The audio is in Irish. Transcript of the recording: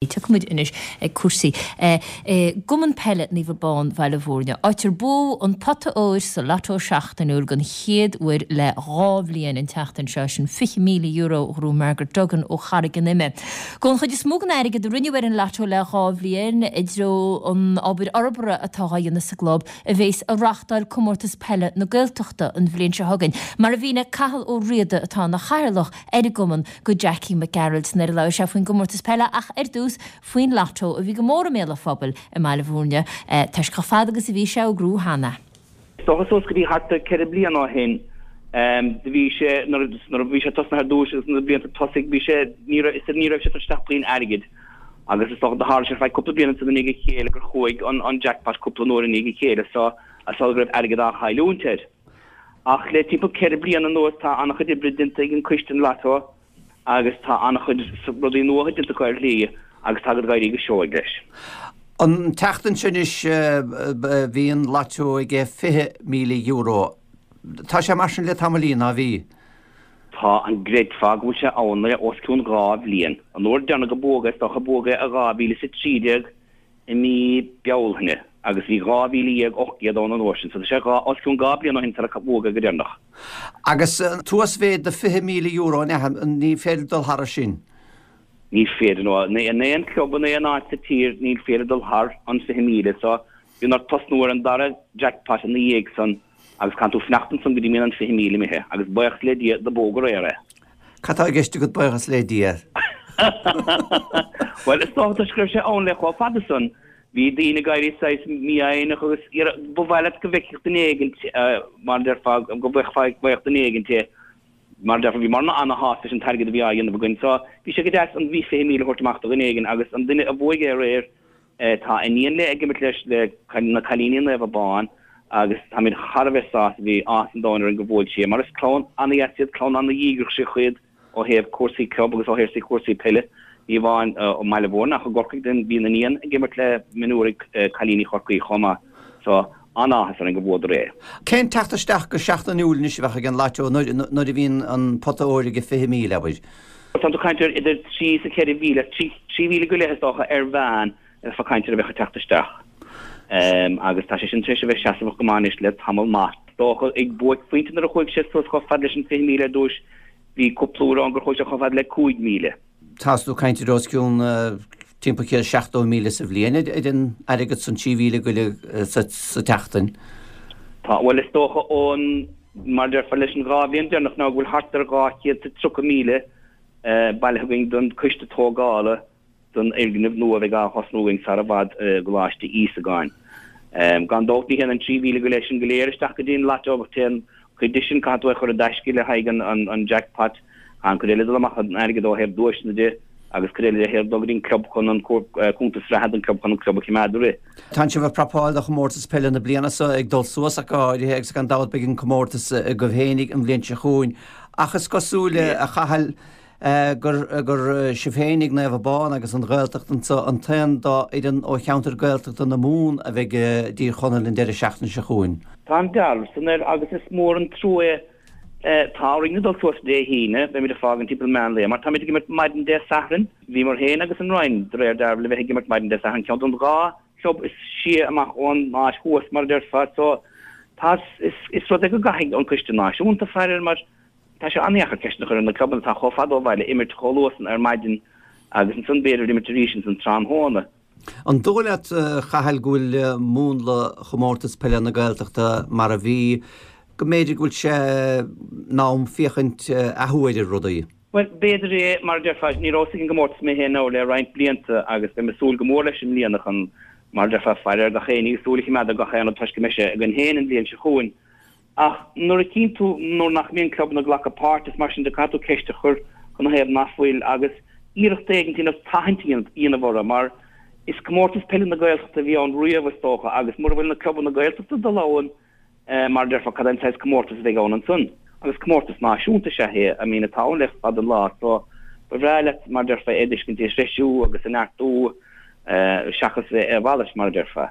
Tiocfaimid anois ag cúrsaí i gCumann Peile Naomh Abán Bhaile Mhúirne, áit ar buadh an pota óir sa Lotto Seachtainiúil den chéad uair le 2 bhliain an tseachtain seo, sin €20,000 a ghnóthaigh Margaret Duggan ó Charraig an Ime. Gabhann an chuid is mó den airgead a rinneadh ar an Lotto le 2 bhliain i dtreo an obair fhorbartha atá á dhéanamh sa gclub a bhéas ag reáchtáil Comórtas Peile na Gaeltachta an bhliain seo chugainn, mar a mhínigh Cathal Ó Riada atá ina chathaoirleach ar an gcumann go Jackie Mac Gearailt nuair a labhair sé faoin gcomórtas peile ach ar dtús faoin Lotto a bhí go mór i mbéal an phobail i mBaile Mhúirne toisc chomh fada agus a bhí sé á eagrú cheana. Is dócha suas go dtí thart ar 4 bliana ó shin do bhí sé, nuair a bhí sé tosnaithe ar dtúis agus na blianta tosaigh bhí sé, ní raibh, ní raibh sé ag tabhairt isteach puinn airgid agus is dócha do tharla sé ar feadh cúpla bliain ansan i ndiaidh a chéile gur chuaigh an jackpot cúpla uair i ndiaidh a chéile so is dócha go raibh airgead á chailliúint air. Ach le timpeall 4 bliana anuas tá an-chuid oibre déanta ag an coiste an Lotto agus tá an-chuid rudaí nua déanta acu ar shlí agus tá ag éirí go seoigh leis. An tseachtain seo anois bhí an Lotto aige €20,000. Tá sé mar sin le tamaillín, ná bhí? Tá, an gcreidfeá go bhfuil sé ann le os cionn 2 bhliain. An uair deireanach a buadh é, is dócha, buadh é i 2013. i mí Bealtaine agus bhí 12,800 ann an uair sin, so tá sé os cionn 2 bliain ó shin tar a buadh é go deireanach. Agus an t-uasmhéid de €20,000 an ea? Ní féidir dul thar sin? Ní féidir, no. In aon club in aon áit sa tír ní féidir dul thar an 20,000, so bíonn ort tosnú ar an dara jackpot ina dhiaidh san Agus caitheann tú fanacht ansan go dtí mbíonn an 20,000 imithe, agus buíochas le Dia do buadh aréir é. Cad tá i gceist agat buíochas le Dia? Bhuel, is dócha toisc go raibh sé ann le chomh fada san, bhí daoine ag éirí saghas mífhoighneach agus ba mhaith leat go bhfeicfeadh duine éigint, mar a déarfá, go bhfaigheadh duine éigint é. Mar a déarfá, bhíomarna ana-shásta leis an t-airgead a bhí á dhéanamh againn so bhí sé go deas an bhí 20,000 a thabhairt amach do dhuine éigin agus an duine a bhuaigh é aréir, Tá iníon léi ag imirt leis le na cailíní Naomh Abán agus táimid thar a bheith sásta, bhí áthas an domhain orainn go bhuaigh sí é mar is clann an-dheas iad, clann an-dhíograiseach iad ó thaobh cúrsaí club agus ó thaobh cúrsaí peile, ní amháin i mBaile Mhúirne ach i gCorcaigh, bíonn an iníon ag imirt le mionúir cailíní Chorcaí chomh maith so an-áthas orainn go bhuadar é. Cén teacht isteach go seachtainiúil anois a bheadh ag an Lotto nuair a bhíonn an pota óir ag 20,000, abair? Tá tú ag caint ar idir 3 is 4,000, 3,000 go leith is dócha ar mheán a bheifeá ag caint ar a bheadh ag teacht isteach. Agus tá sé sin tar éis a bheith seasmhach go maith anois le tamall maith. Is dócha ag buaicphointe nuair a chuaigh sé suas chomh fada leis an 20,000 ar dtúis, bhí cúpla uair ann gur chuaigh sé chomh fada le 5,000. Tá tú ag caint ar os cionn timpeall 170,000 sa bhliain ar an airgead san, 3,000 go leith sa tseachtain. Tá, bhuel is dócha ón. Mar a déarfá leis an 2 bhliain deireanach ná go bhfuil thart ar 230,000 bailithe againn don coiste tógála don fhoirgneamh nua a bheidh á thosnú againn sar i bhfad i gColáiste Íosagáin. Gan dabht ní théann an 3,000 go leith sin go léir isteach go dtí an Lotto ach téann cuid de sin, caithfidh tú é a chur i dtaisce le haghaidh an jackpot, an cuid eile dul amach an airgead ó thaobh duaiseanna de agus cuid eile de dul go dtí an club chun an cuntas reatha don club chun an club a choimeád ag rith. Tánn sibh ag prapáil do chomórtas peile na bliana seo ag dul suas ach go háirithe agus gan dabht beidh an comórtas agaibh fhéinig an bhliain seo chugainn ach is cosúil, a Chathail, gur gur sibh fhéinig, Naomh Abán agus an Ghaeltacht anseo an t-aon dá fhoireann ó cheantar Gaeltachta na Mumhan a bheidh i dTír Chonaill an deireadh seachtaine seo chugainn. Tá an dealramh san air agus is mór an trua é. Tá orainn a dul suas Dé hAoine, beimid ag fágaint timpeall meán lae, mar táimid ag imirt maidin Dé Sathairn. Bhíomar féin agus an Rinn, de réir dealraimh, le bheith ag imirt maidin Dé Sathairn, ceann den dhá chlub is sia amach ón áit thuas, mar a déarfá. So, tá, is, is rud é go gcaithfidh an Coiste Náisiúnta faire air, mar tá sé an-dheacair ceist a chur ar na clubanna atá chomh fada ó bhaile imirt chomh luath san ar maidin agus ansan b'fhéidir imirt arís ansan tráthnóna. An dóigh leat, a Chathail, go bhfuil múnla Chomórtas Peile na Gaeltachta mar a bhí, go mb'fhéidir go bhfuil sé in am féachaint athuair ar rudaí? Bhuel, b'fhéidir é, mar a déarfá, ní rabhas ag an gcomórtas mé féin now le roinnt blianta agus beidh mé ag súil go mór leis i mbliana chun, mar a déarfá, faire ar gach éinne agus súil a choimeád ar gach aon rud toisc go mbeidh sé againn féin an bhliain seo chugainn. Ach nuair a chíonn tú nuair nach mbíonn clubanna ag glacadh páirt is mar sin de caithfidh tú ceist a chur cad 'na thaobh nach bhfuil agus iarracht éigin a dhéanamh tathaint a dhéanamh orthu mar is comórtas peile na Gaeltachta a bhí ann riamh is dócha agus mura bhfuil na clubanna Gaeltachta ag dul ann mar a déarfá cad é an saghas comórtas a bheidh ann ansan agus comórtas náisiúnta is ea é I mean atá ann le fada an lá so ba bhreá leat mar a déarfá é a fheiscint á threisiú agus a neartú seachas a mhalairt mar a déarfá.